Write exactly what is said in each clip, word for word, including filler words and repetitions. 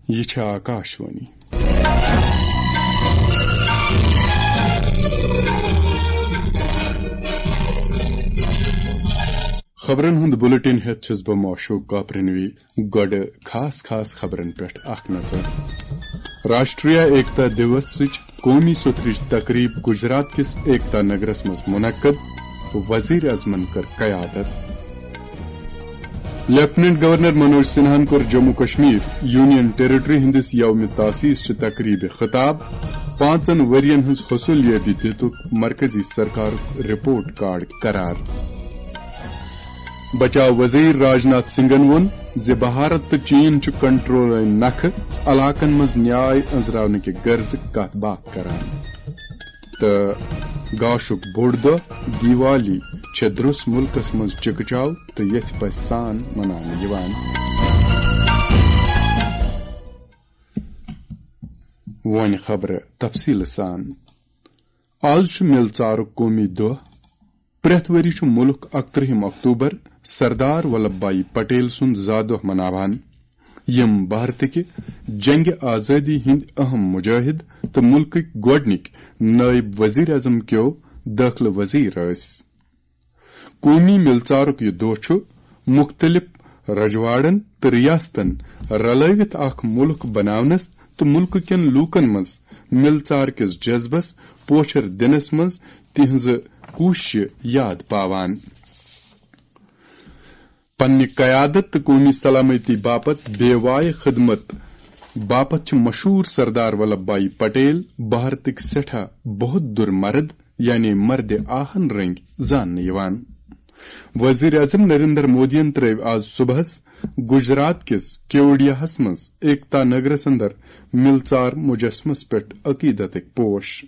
یہِ چھِ آکاشوانی۔ خبرن ہُنٛد بُلٹن ہٮ۪تھ چھُس بہٕ معشوق کاپرنوی۔ گۄڈٕ خاص خاص خبرن پٮ۪ٹھ اکھ نظر۔ راشٹریہ ایکتا دیوسٕچ قومی سوٚتھرٕچ تقریب گجرات کِس ایکتا نگرس منٛز منعقد، وزیر اعظمن کٔر قیادت۔ لیفٹیننٹ گورنر منوج سنہاہن کوٚر جموں کشمیر یونین ٹیریٹری ہٕنٛدِس یوم تاسیس چہِ تقریبہِ خطاب، پانٛژن ؤرین ہٕنٛز حصولیٲتی دِتُکھ مرکزی سرکارُک رپورٹ کارڈ قرار۔ بچاو وزیر راجناتھ سنگھن ووٚن زِ بھارت تہٕ چین چھُ کنٹرول نکھٕ علاقن منٛز نیاے أنزراونہٕ کہِ غرضہٕ کتھ باتھ کران۔ تہٕ گاشُک بوٚڑ دۄہ دیوالی چھےٚ درٛوس مُلکس منٛز چکہٕ چاو تہٕ یژھِ پژھِ سان مناونہٕ یِوان۔ وۄنۍ خبرٕ تفصیٖلہٕ سان۔ آز چھُ مِلژارُک قومی دۄہ۔ پرٛٮ۪تھ ؤری چھُ مُلک اَکترٛہِم اکتوبر سردار ولبھ بھائی پٹیل سُنٛد زا دۄہ مناوان، یِم بھارتٕکہِ جنگِ آزٲدی ہٕنٛدۍ اہم مجاہد تہٕ مُلکٕکۍ گۄڈٕنِکۍ نٲیِب وزیر اعظم کیو دٲخلہٕ وزیر ٲسۍ۔ قومی مِلژارُک یہِ دۄہ چھُ مُختٔلِف رجواڑن تہٕ ریاستن رلٲوِتھ اکھ مُلک بناونس تہٕ مُلکہٕ کٮ۪ن لوٗکن منٛز مِلژار کِس جذبس پوچھر دِنس منٛز تِہنٛزٕ کوٗششہِ یاد پاوان۔ پننہِ قیادت تہٕ قومی سلامتی باپتھ بے وایہِ خدمت باپتھ چھِ مشہوٗر سردار ولبھ بھائی پٹیل بھارتٕکۍ سٮ۪ٹھاہ بہت دُر مرد، یعنی مردِ آہن رٔنگۍ زاننہٕ یِوان۔ وزیر اعظم نریندر مودیَن ترٲوۍ آز صبحس گجرات کِس کیوڈیاہس منٛز ایکتا نگرس اندر مِلژار مجسمس پٮ۪ٹھ عقیدتٕکۍ پوش۔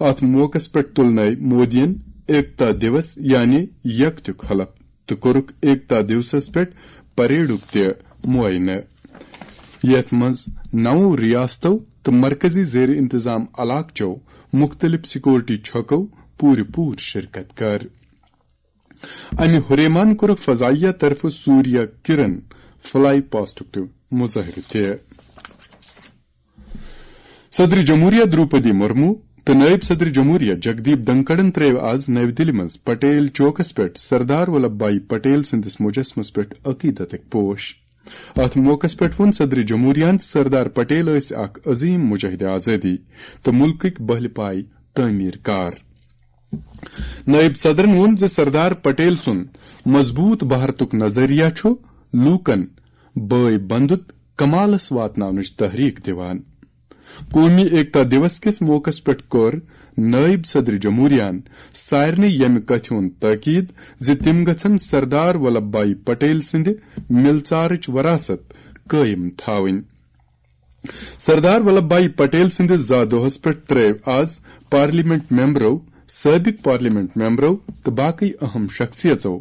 اتھ موقعس پٮ۪ٹھ تُلنٲوۍ مودیَن ایکتا دیوس یعنی یکتیُک حلف تہٕ کوٚرُکھ ایکتا دیوسس پٮ۪ٹھ پریڈُک تہِ معائنہٕ، یتھ منٛز نَوو ریاستو تہٕ مرکزی زیر انتظام علاقہٕ چو مُختٔلِف سیکورٹی چھکو پوٗرٕ پوٗرٕ شرکت کٔر۔ امہِ ہُریمان کوٚرُکھ فضائیہ طرفہٕ سوریہ کرن فلائی پاسٹُک تہِ مظٲہرٕ تہِ۔ صدر جمہوریہ دروپدی مرمو تہٕ نائب صدر جمہوریہ جگدیپ دھنکڑن ترٲوۍ آز نَوِ دِلہِ منٛز پٹیل چوکس پٮ۪ٹھ سردار ولبھ بھائی پٹیل سٕنٛدِس مجسمس پٮ۪ٹھ عقیدتٕکۍ پوش۔ اتھ موقعس پٮ۪ٹھ ووٚن صدر جمہوریہن زِ سردار پٹیل ٲسۍ اکھ عظیم مجاہد آزٲدی تہٕ مُلکٕکۍ بہلہِ پایہِ تعمیٖر کار۔ نائب صدرن ووٚن زِ سردار پٹیل سُنٛد مضبوٗط بھارتُک نظریہ چھُ لوٗکن بٲے بندُت کمالس واتناونٕچ تحریک دِوان۔ قومی ایکتا دیوس کِس موقعس پٮ۪ٹھ کوٚر نائب صدر جمہوریہن سارنٕے ییٚمہِ کتھِ ہُنٛد تاکید زِ تِم گژھن سردار ولبھ بھائی پٹیل سٕنٛدِ مِلژارٕچ وراثت قٲیِم تھاوٕنۍ۔ سردار ولبھ بھائی پٹیل سٕنٛدِس زا دۄہس پٮ۪ٹھ ترٲوۍ آز پارلیمنٹ ممبرو، سٲبق پارلیمنٹ ممبرو تہٕ باقٕے اہم شخصیژو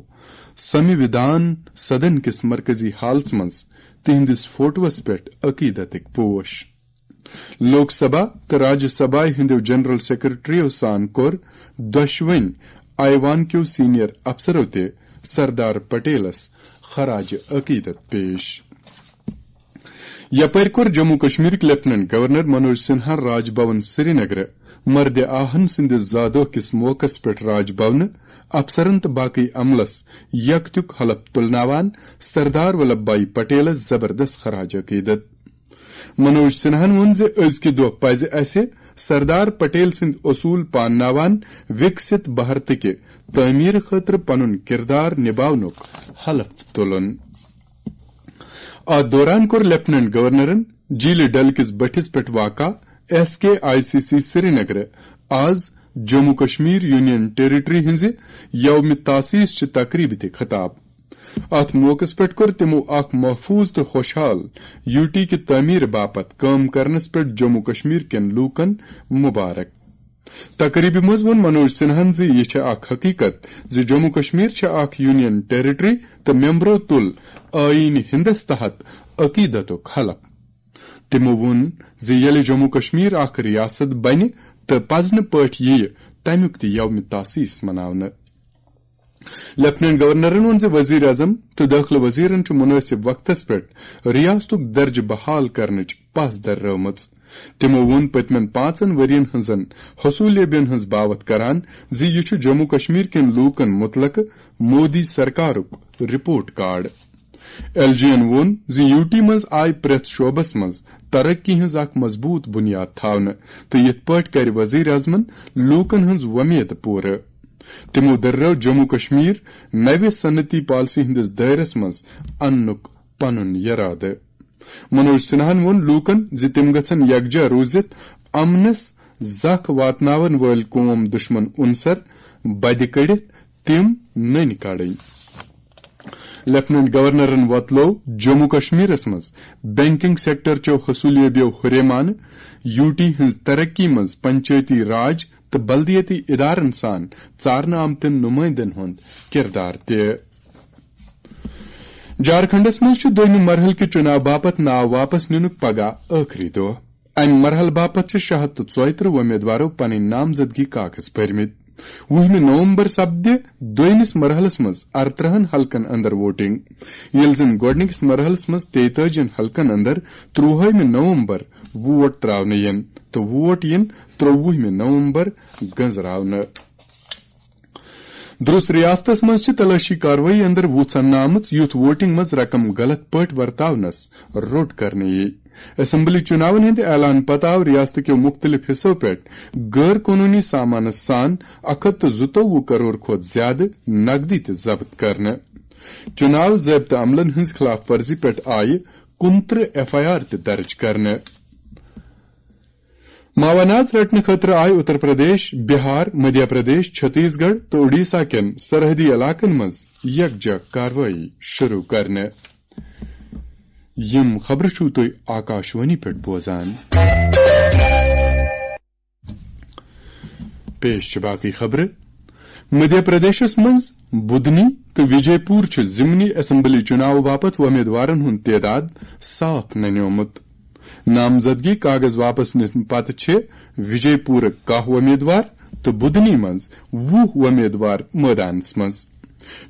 سنوِدھان سدن کِس مرکزی ہالس منٛز تِہنٛدِس فوٹوس پٮ۪ٹھ عقیدتٕکۍ پوش۔ لوک سبھا تہٕ راجیہ سبھا ہٕنٛدیو جنرل سیکرٹریو سان کوٚر دۄشوٕنۍ ایوان کیو سینئر افسرو تہِ سردار پٹیلس خراج عقیدت پیش۔ یپٲرۍ کوٚر جموں کشمیرٕکۍ لیفٹیننٹ گورنر منوج سنہا راج بھون سرینگرٕ مردِ آہن سٕنٛدِس زا دۄہ کِس موقعس پٮ۪ٹھ راج بھونہٕ افسرن تہٕ باقٕے عملس یکتیُک حلف تُلناوان سردار ولبھ بھائی پٹیلس زبردست خراج عقیدت۔ منوج سنہاہن ووٚن زِ أزکہِ دۄہ پزِ اسہِ سردار پٹیل سٕنٛدۍ اصوٗل پانناوان وِکسِت بھارتٕکہِ تعمیٖر خٲطرٕ پنُن کردار نباونُک حلف تُلُن۔ اتھ دوران کوٚر لیفٹیننٹ گورنرن جیٖلہِ ڈل کِس بٔٹھِس پٮ۪ٹھ واقع S K I C C سرینگرٕ آز جموں کشمیر یونین ٹیریٹری ہٕنٛزِ یومِ تاسیس چہِ تقریبہِ تہِ خطاب۔ اتھ موقعس پٮ۪ٹھ کوٚر تِمو اکھ محفوظ تہٕ خۄشحال یوٗ ٹی کہِ تعمیٖر باپتھ کٲم کرنس پٮ۪ٹھ جموں کشمیر کٮ۪ن لوٗکن مبارک۔ تقریبہِ منٛز ووٚن منوج سنہاہن زِ یہِ چھےٚ اکھ حقیقت زِ جموں کشمیر چھےٚ اکھ یونین ٹیریٹری تہٕ ممبرو تُل آئین ہندس تحت عقیدتُک حلف۔ تِمو ووٚن زِ ییٚلہِ جموں کشمیر اکھ ریاست بنہِ تہٕ پزنہٕ پٲٹھۍ یِیہِ تمیُک تہِ یومِ تاسیس مناونہٕ۔ لیفٹیننٹ گورنرن ووٚن زِ وزیر اعظم تہٕ دٲخلہٕ وزیرن چھُ مُنٲسِب وقتس پٮ۪ٹھ ریاستُک درجہٕ بحال کرنٕچ پژھ دررٲومٕژ۔ تِمو ووٚن پٔتمٮ۪ن پانٛژن ؤرین ہٕنٛزن حصوٗلیابین ہٕنٛز باوتھ کران زِ یہِ چھُ جموں کشمیر کٮ۪ن لوٗکن مُتعلقہٕ مودی سرکارُک رپورٹ کارڈ۔ ایل جی یَن ووٚن زِ یوٗ ٹی منٛز آیہِ پرٛٮ۪تھ شعبس منٛز ترقی ہٕنٛز اکھ مضبوٗط بُنیاد تھاونہٕ تہٕ یِتھ پٲٹھۍ کرِ وزیر اعظمن لوٗکن ہٕنٛز وۄمید پوٗرٕ۔ تِمو دٔررٲو جموں کشمیر نوِ صنعتی پالیسی ہٕنٛدِس دٲیرس منٛز اننُک پنُن یرادٕ۔ منوج سنہاہن ووٚن لوٗکن زِ تِم گژھن یکجا روٗزِتھ امنس زکھ واتناون وٲلۍ قوم دشمن عنصر بدِ کٔڑِتھ تِم نٔنۍ کڑٕنۍ۔ لیفٹیننٹ گورنرن وۄتلٲو جموں کشمیرس منٛز بینکنگ سیکٹر چو حصولیابیو ہُریمانہٕ، یوٗ ٹی ہٕنٛز ترقی منٛز پنچایتی راج تہٕ بلدیٲتی ادارن سان ژارنہٕ آمتٮ۪ن نُمٲیندن ہُنٛد کردار تہِ۔ جھارکھنڈس منٛز چھُ دوٚیمہِ مرحلہٕ کہِ چُناو باپتھ ناو واپس نِنُک پگاہ ٲخری دۄہ۔ امہِ مرحلہٕ باپتھ چھِ شےٚ ہتھ تہٕ ژۄیہِ ترٕٛہ وۄمیدوارو پنٕنۍ نامزدگی کاغذ بٔرمٕتۍ۔ وُہمہِ نومبر سپدِ دوٚیمِس مرحلس منٛز ارترٕہن حلقن اندر ووٹنگ، ییٚلہِ زن گۄڈٕنِکِس مرحلس منٛز تیتٲجِین حلقن اندر ترٛوہٲیمہِ نومبر ووٹ تراونہٕ یِن تہٕ ووٹ یِن ترٛووُہمہِ نومبر گنزراونہٕ۔ درس ریاستس منٛز چھِ تلٲشی کاروٲیی اندر وُژھ اننہٕ آمٕژ، یُتھ ووٹنگ منٛز رقم غلط پٲٹھۍ ورتاونس روٚٹ کرنہٕ یِیہِ۔ اسمبلی چُناون ہٕنٛدِ اعلان پتہٕ آو ریاست کیو مُختٔلِف حصو پٮ۪ٹھ غٲر قونوٗنی سامانس سان اکھ ہتھ تہٕ زٕتووُہ کرور کھۄتہٕ زیادٕ نقدی تہِ ضبط کرنہٕ۔ چُناو ضٲبطہٕ عملن ہٕنٛز خلاف ورزی پٮ۪ٹھ آیہِ کُنترٕہ ایف آئی آر تہِ درج کرنہٕ۔ معاونات رٹنہٕ خٲطرٕ آیہِ اتر پردیش، بہار، مدھیہ پردیش، چھتیس گڑھ تہٕ اوڈیشہ کٮ۪ن سرحدی علاقن منٛز یکجا کاروٲیی شروع کرنہٕ۔ یِم خبرٕ چھِو تُہۍ آکاشوانی پٮ۪ٹھ بوزان۔ پیش چھِ باقٕے خبرٕ۔ مدھیہ پردیشس منٛز بُدنی تہٕ وجے پور چھُ ضمنی اسمبلی چُناو باپتھ وۄمیدوارن ہُنٛد تعداد صاف ننیومُت۔ نامزدگی کاغذ واپس نِنہٕ پتہٕ چھِ وجے پورٕکۍ کاہ وۄمیدوار تہٕ بُدنی منٛز وُہ وۄمیدوار مٲدانس منٛز۔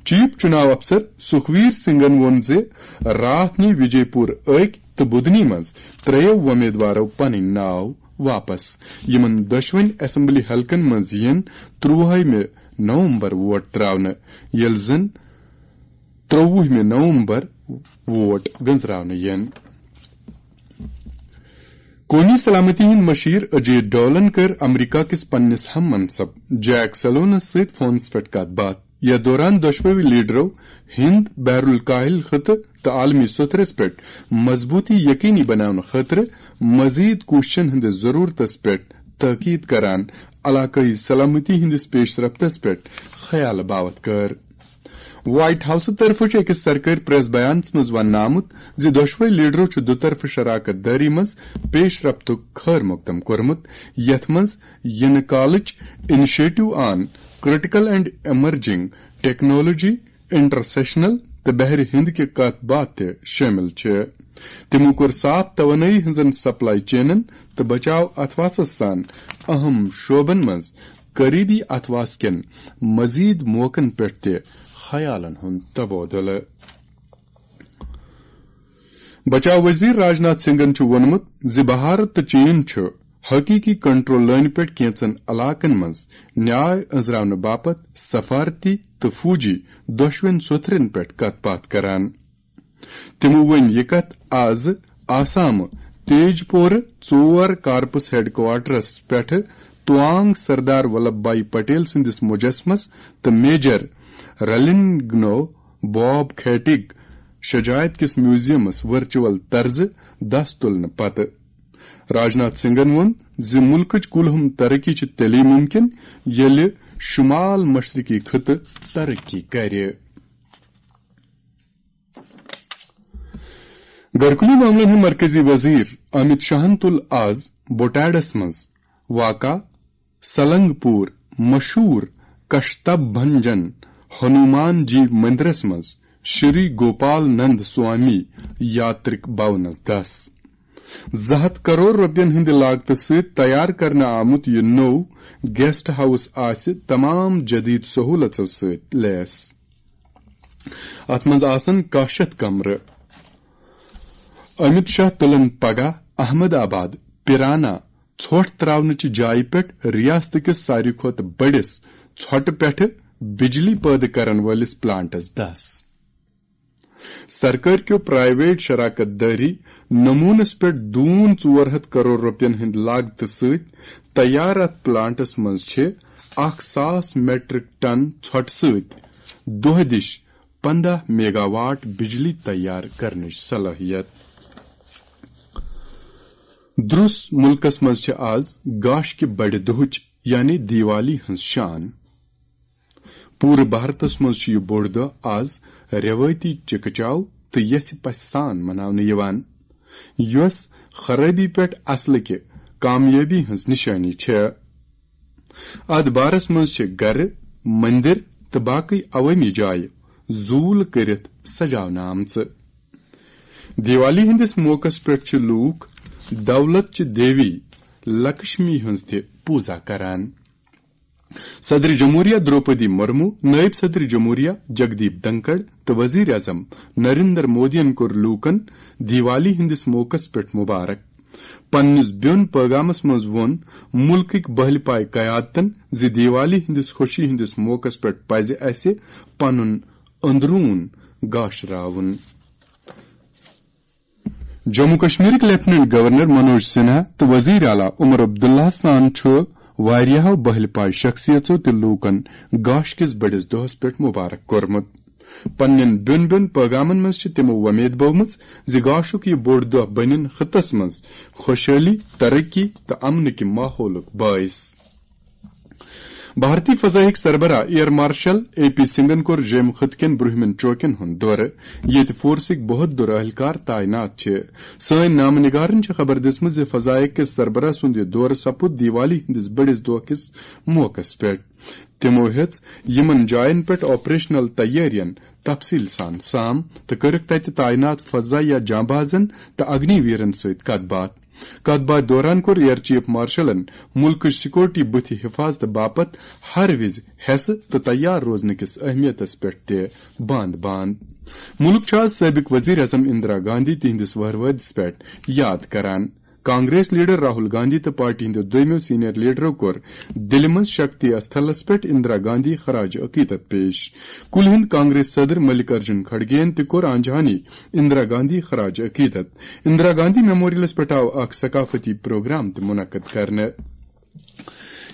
چیف چُناو افسر سُکھویر سنگھن ووٚن زِ راتھ نی وجے پور أکۍ تہٕ بُدنی منٛز ترٛیٚیو وۄمیدوارو پنٕنۍ ناو واپس۔ یِمن دۄشوٕنۍ اسمبلی حلقن منٛز یِن ترٛوہٲیمہِ نومبر ووٹ تراونہٕ، ییٚلہِ زن ترٛووُہمہِ نومبر ووٹ گنزراونہٕ یِن۔ قومی سلامتی ہٕنٛدۍ مشیر اجیت ڈولن کٔر امریکہ کِس پننِس ہم منصب جیک سلونس سۭتۍ فونس پٮ۪ٹھ کتھ باتھ۔ یتھ دوران دۄشوٕے لیڈرو ہند بحر الکاہل خطہٕ تہٕ عالمی سوٚتھرس پٮ۪ٹھ مضبوٗطی یقینی بناونہٕ خٲطرٕ مزید کوٗششن ہٕنٛدِس ضروٗرتس پٮ۪ٹھ تاکید کران علاقٲیی سلامتی ہٕنٛدِس پیش رفتس پٮ۪ٹھ خیال باوتھ کٔر۔ وائٹ ہاؤسہٕ طرفہٕ چھُ أکِس سرکٲرۍ پریس بیانَس منٛز وننہٕ آمُت زِ دۄشوے لیڈرو چھُ دُطرفہٕ شراکت دٲری منٛز پیش رفتُک خٲر مقدم کوٚرمُت، یتھ منٛز یِنہٕ کالٕچ initiative on critical and emerging technology، انٹرسیشنل تہٕ بحرِ ہند کہِ کتھ باتھ تہِ شٲمِل چھِ۔ تِمو کوٚر صاف توانٲیی ہٕنٛزن سپلائی چینن تہٕ بچاو اتھواسس سان اہم شعبن منٛز قریبی اتھواس کٮ۪ن مزید موقعن پٮ۪ٹھ تہِ خیالن ہُنٛد تبادلہٕ۔ بچاو وزیر راجناتھ سنگھن چھُ ووٚنمُت زِ بھارت تہٕ چین چھُ حقیقی کنٹرول لٲنہِ پٮ۪ٹھ کینژن علاقن منٛز نیاے أنزراونہٕ باپتھ سفارتی تہٕ فوجی دۄشوٕنۍ سوٚتھرن پٮ۪ٹھ کتھ باتھ کران۔ تِمو ؤنۍ یہِ کتھ آز آسامہٕ تیج پورٕ ژور کارپس ہیڈ کوارٹرس پٮ۪ٹھ توانگ سردار ولبھ بھائی پٹیل سٕنٛدِس مجسمس تہٕ میجر رلنگنو باب کھیٹک شجاعت کِس میوزیمس ورچوئل طرزٕ دس تُلنہٕ پتہٕ۔ راجناتھ سنگھن ووٚن زِ مُلکٕچ کُلہُم ترقی چھِ تیٚلی مُمکِن، ییٚلہِ شُمال مشرقی خطہٕ ترقی کرِ۔ گرکُلی معاملن ہٕنٛدۍ مرکزی وزیر امیت شاہن تُل آز بوٹاڈس منٛز واقع سلنگ پور مشہوٗر کشتبھنجن ہنومان جی مندرس منٛز شری گوپال نند سوامی یاترک بھونس دس۔ زٕ ہتھ کرور رۄپین ہٕنٛدِ لاگتہٕ سۭتۍ تیار کرنہٕ آمُت یہِ نوٚو گیسٹ ہاؤس آسہِ تمام جدید سہولژو سۭتۍ لیس۔ اتھ منٛز آسن کاہ شیٚتھ کمرٕ۔ امیت شاہ تُلن پگاہ احمد آباد پیرانا ژھۄٹھ تراونٕچہِ جایہِ پٮ۪ٹھ ریاست کِس ساروی کھۄتہٕ بٔڑِس ژھۄٹہٕ پٮ۪ٹھٕ بجلی پٲدٕ کرن وٲلِس پلانٹس دس۔ سرکٲرۍ کیو پرائیویٹ شراکت دٲری نمونس پٮ۪ٹھ دوٗن ژور ہتھ کرور رۄپین ہٕنٛدِ لاگتہٕ سۭتۍ تیار اتھ پلانٹس منٛز چھِ اکھ ساس میٹرک ٹن ژھۄٹہٕ سۭتۍ دۄہ دِش پنداہ میگا واٹ بجلی تیار کرنٕچ صلٲحیت۔ درس ملکس منٛز چھِ آز گاش کہِ بڑِ دۄہٕچ یعنی دیوالی ہٕنٛز شان۔ پوٗرٕ بھارتس منٛز چھُ یہِ بوٚڑ دۄہ آز رٮ۪وٲیتی چکہٕ چاو تہٕ یژھِ پژھِ سان مناونہٕ یِوان، یۄس خرٲبی پٮ۪ٹھ اصلٕکہِ کامیٲبی ہٕنٛز نشٲنی چھےٚ۔ اتھ بارس منٛز چھِ گرٕ، مندر تہٕ باقٕے عوٲمی جایہِ زوٗل کٔرِتھ سجاونہٕ آمژٕ۔ دیوالی ہٕنٛدِس موقعس پٮ۪ٹھ چھِ لوٗکھ دولت چہِ دیوی لکشمی ہٕنٛز تہِ پوٗزا کران۔ صدر جمہوریہ دروپدی مرمو، نائب صدر جمہوریہ جگدیپ دھنکڑ تہٕ وزیر اعظم نریندر مودیَن کوٚر لوٗکَن دیوالی ہٕنٛدِس موقعس پٮ۪ٹھ مبارک۔ پننِس بیوٚن پٲغامس منٛز ووٚن مُلکٕکۍ بہلہِ پایہِ قیادتن زِ دیوالی ہٕنٛدِس خوشی ہٕنٛدِس موقعس پٮ۪ٹھ پزِ اسہِ پنُن أنٛدروٗن گاشراوُن۔ جموں کشمیرٕکۍ لیفٹیننٹ گورنر منوج سنہا تہٕ وزیر اعلیٰ عمر عبداللہ سان چھُ واریاہو بہلہِ پایہِ شخصیژو تہِ لوٗکن گاش کِس بٔڑِس دۄہس پٮ۪ٹھ مبارک کوٚرمُت۔ پننٮ۪ن بیوٚن بیوٚن پٲغامن منٛز چھِ تِمو وۄمید بٲومٕژ زِ گاشُک یہِ بوٚڑ دۄہ بنِن خطس منٛز خۄشحٲلی، ترقی تہٕ امنٕکہِ ماحولُک باعث۔ بھارتی فضائیہٕکۍ سربراہ ایئر مارشل اے پی سنگھن کوٚر جیمۍ خطہٕ کٮ۪ن برٛونٛہمٮ۪ن چوکن ہُنٛد دورٕ، ییٚتہِ فورسٕکۍ بہتر اہلکار تعینات چھِ۔ سٲنۍ نامہٕ نگارن چھِ خبر دِژمٕژ زِ فضائیہ کِس سربراہ سُنٛد یہِ دورٕ سپُد دیوالی ہٕنٛدِس بٔڑِس دۄہ کِس موقعس پٮ۪ٹھ۔ تِمو ہیٚژ یِمن جاین پٮ۪ٹھ آپریشنل تیٲرین تفصیل سان سام تہٕ کٔرٕکھ تتہِ تعینات فضائیہ جانبازن تہٕ اگنی ویرن سۭتۍ کتھ باتھ۔ کتھ باتھ دوران کوٚر ایئر چیف مارشلن مُلکٕچ سیکورٹی بُتھِ حفاظتہٕ باپتھ ہر وِزِ حیسہٕ تہٕ تیار روزنہٕ کِس اہمیتس پٮ۪ٹھ تہِ باند باند۔ مُلک چھُ آز سٲبق وزیر اعظم اندرا گاندھی تِہنٛدِس وہروٲدِس پٮ۪ٹھ یاد کران۔ کانگریس لیڈر راہل گاندھی تہٕ پارٹی ہٕنٛدیو دویمو سینئر لیڈرو کوٚر دِلہِ منٛز شکتی استھلس پٮ۪ٹھ اندرا گاندھی خراج عقیدت پیش۔ کُلہِ ہُنٛد کانگریس صدر ملک ارجن کھڑگے یَن تہِ کوٚر آنجہانی اندرا گاندھی خراج عقیدت۔ اندرا گاندھی میموریلس پٮ۪ٹھ آو اکھ ثقافتی پروگرام تہِ منعقد کرنہٕ۔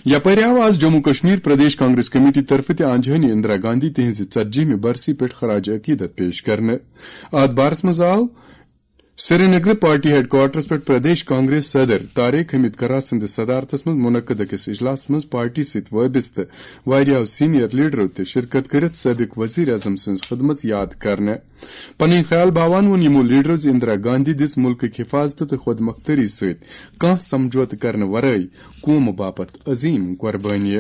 یپٲرۍ آو آز جموں کشمیر پردیش کانگریس کمیٹی طرفہٕ تہِ آنجہانی اندرا گاندھی تِہنٛزِ ژتجیہمہِ برسی پٮ۪ٹھ خراج عقیدت پیش کرنہٕ۔ اتھ بارس منٛز آو سرینگر پارٹی ہیڈ کوارٹرس پٮ۪ٹھ پردیش کانگریس صدر طارق حمید کھرا سٕنٛدِس صدارتس منٛز منعقد أکِس اجلاسس منٛز پارٹی سۭتۍ وابستہٕ واریاہو سینئر لیڈرو تہِ شرکت کٔرِتھ سٲبق وزیر اعظم سٕنٛز خدمژ یاد کرنہٕ۔ پنٕنۍ خیال باوان ووٚن یِمو لیڈرو زِ اندرا گاندھی دِژ مُلکٕکۍ حفاظتہٕ تہٕ خود مختٲری سۭتۍ کانٛہہ سمجھوتہٕ کرنہٕ ورٲے قومہٕ باپتھ عظیم قربٲنی۔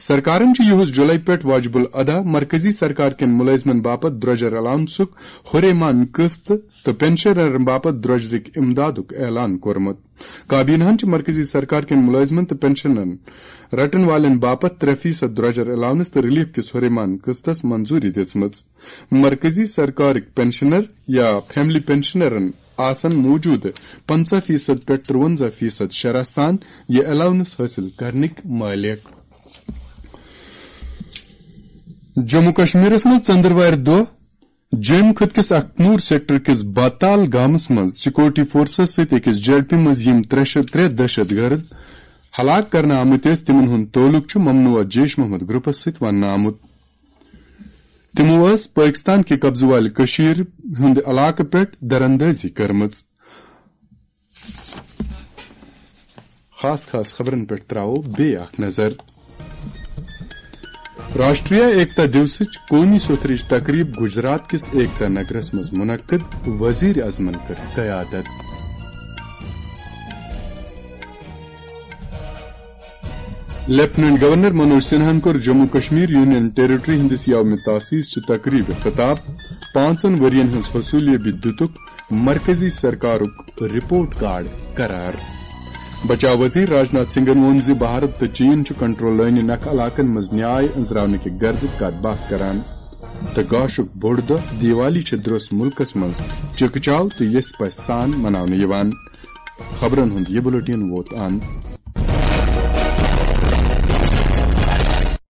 سرکارن چھُ یِہُس جُلے پٮ۪ٹھ واجب الادا مرکزی سرکار کٮ۪ن مُلٲزمن باپتھ درٛۄجر الاونسُک ہُریمان قٕسط تہٕ پنشنرن باپتھ درٛۄجرٕکۍ امدادُک اعلان کوٚرمُت۔ کابینہن چھِ مرکزی سرکار کٮ۪ن مُلٲزمن تہٕ پنشنن رٹن والٮ۪ن باپتھ ترٛےٚ فیصد درٛۄجر الاونس تہٕ ریلیف کِس ہُریمان قٕسطس منظوٗری دِژمٕژ۔ مرکزی سرکارٕکۍ پنشنر یا فیملی پنشنرن آسن موٗجوٗدٕ پنٛژاہ فیصد پٮ۪ٹھ ترٛوَنٛزاہ فیصد شرح سان یہِ الاونس حٲصِل کرنٕکۍ مٲلِک۔ جموں کشمیرس منٛز ژٔنٛدٕروارِ دۄہ جیٚمۍ خٕطہٕ کِس اکھنوٗر سیکٹر کِس باتال گامس منٛز سیکورٹی فورسز سۭتۍ أکِس جھڑپہِ منٛز یِم ترٛےٚ شیٚتھ ترٛےٚ دہشت گرد ہلاک کرنہٕ آمٕتۍ ٲسۍ، تِمن ہُنٛد تعلق چھُ ممنوع جیش محمد گروپس سۭتۍ وننہٕ آمُت۔ تِمو ٲس پٲکستان کہِ قبضہٕ والہِ کٔشیٖر ہُنٛد علاقہٕ پٮ۪ٹھ دراندٲزی کٔرمٕژ۔ خاص خاص خبرن پٮ۪ٹھ تراوو بیٚیہِ اکھ نظر۔ راشٹریہ ایکتا دیوسٕچ قومی سوٚتھرٕچ تقریب گجرات کِس ایکتا نگرس منٛز منعقد، وزیر اعظمن کٔر قیادت۔ لیفٹیننٹ گورنر منوج سنہاہن کوٚر جموں کشمیر یونین ٹیریٹری ہٕنٛدِس یوم تاسیس چہِ تقریبہِ خطاب۔ پانٛژن ؤرین ہٕنٛز حصولیابی دِتُکھ مرکزی سرکارُک رپورٹ کارڈ قرار۔ بچاو وزیر راجناتھ سنگھن ووٚن زِ بھارت تہٕ چین چھُ کنٹرول لٲنہِ نکھٕ علاقن منٛز نیاے أنٛزراونہٕ کہِ غرضٕچ کتھ باتھ کران۔ تہٕ گاشُک بوٚڑ دۄہ دیوالی چھِ درٛوس مُلکَس منٛز چکہٕ چاو تہٕ یژھِ پژھِ سان مناونہٕ یِوان۔ خبرن ہُنٛد یہِ بُلٹن ووت اند۔